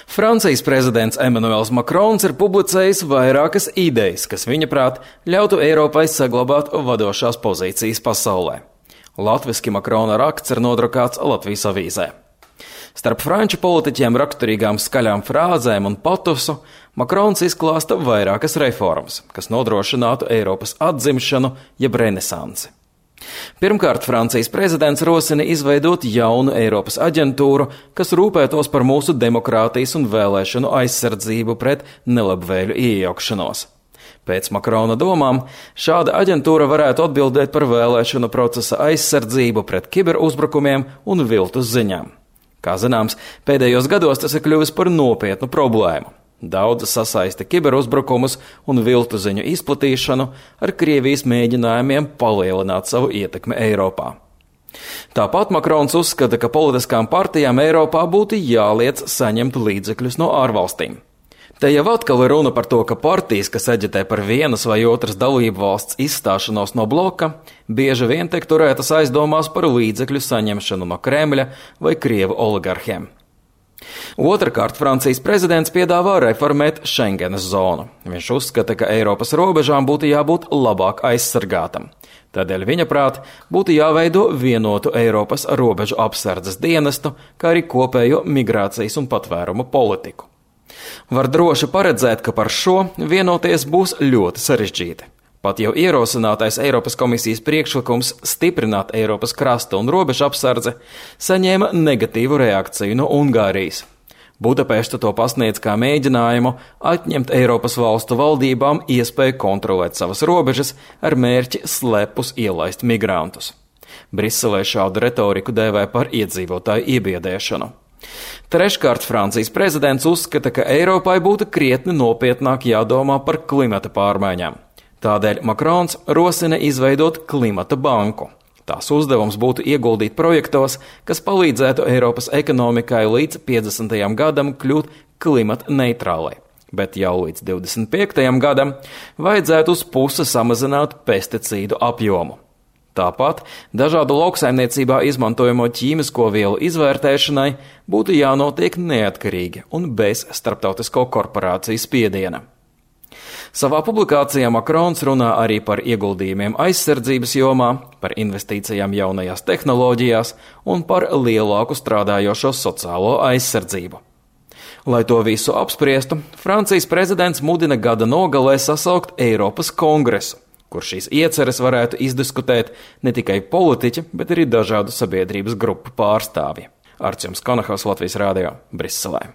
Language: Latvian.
Francijas prezidents Emmanuels Macrons ir publicējis vairākas idejas, kas viņaprāt ļautu Eiropai saglabāt vadošās pozīcijas pasaulē. Latviski Macrona raksts ir nodrukāts Latvijas avīzē. Starp franču politiķiem raksturīgām skaļām frāzēm un patosu Macrons izklāsta vairākas reformas, kas nodrošinātu Eiropas atzimšanu jeb renesansi. Pirmkārt, Francijas prezidents rosina izveidot jaunu Eiropas aģentūru, kas rūpētos par mūsu demokrātijas un vēlēšanu aizsardzību pret nelabvēļu iejaukšanos. Pēc Macrona domām, šāda aģentūra varētu atbildēt par vēlēšanu procesa aizsardzību pret kiberuzbrukumiem un viltus ziņām. Kā zināms, pēdējos gados tas ir kļuvis par nopietnu problēmu. Daudz sasaista kiberuzbrukumus un viltu ziņu izplatīšanu ar Krievijas mēģinājumiem palielināt savu ietekmi Eiropā. Tāpat Macrons uzskata, ka politiskām partijām Eiropā būtu jāliedz saņemt līdzekļus no ārvalstīm. Te jau atkal ir runa par to, ka partijas, kas aģitē par vienas vai otras dalību valsts izstāšanos no bloka, bieži vien tiek turētas aizdomās par līdzekļu saņemšanu no Kremļa vai Krievu oligarhiem. Otrakārt, Francijas prezidents piedāvā reformēt Schengenas zonu. Viņš uzskata, ka Eiropas robežām būtu jābūt labāk aizsargātam. Tādēļ viņa prāt būtu jāveido vienotu Eiropas robežu apsardzes dienestu, kā arī kopējo migrācijas un patvērumu politiku. Var droši paredzēt, ka par šo vienoties būs ļoti sarežģīti. Pat jau ierosinātais Eiropas komisijas priekšlikums stiprināt Eiropas krasta un robežu apsardzi saņēma negatīvu reakciju no Ungārijas. Budapešta to pasniedz kā mēģinājumu atņemt Eiropas valstu valdībām iespēju kontrolēt savas robežas ar mērķi slepus ielaist migrantus. Briselē šādu retoriku dēvē par iedzīvotāju iebiedēšanu. Treškārt, Francijas prezidents uzskata, ka Eiropai būtu krietni nopietnāk jādomā par klimata pārmaiņām. Tādēļ Macrons rosina izveidot klimata banku. Tās uzdevums būtu ieguldīt projektos, kas palīdzētu Eiropas ekonomikai līdz 50. gadam kļūt klimata neitrālai, bet jau līdz 25. gadam vajadzētu uz pusi samazināt pesticīdu apjomu. Tāpat dažādu lauksaimniecībā izmantojamo ķīmisko vielu izvērtēšanai būtu jānotiek neatkarīgi un bez starptautisko korporāciju spiediena. Savā publikācijā Macrons runā arī par ieguldījumiem aizsardzības jomā, par investīcijām jaunajās tehnoloģijās un par lielāku strādājošo sociālo aizsardzību. Lai to visu apspriestu, Francijas prezidents mudina gada nogalē sasaukt Eiropas kongresu, kur šīs ieceres varētu izdiskutēt ne tikai politiķi, bet arī dažādu sabiedrības grupu pārstāvji. Artjums Konahos, Latvijas radio, Briselē.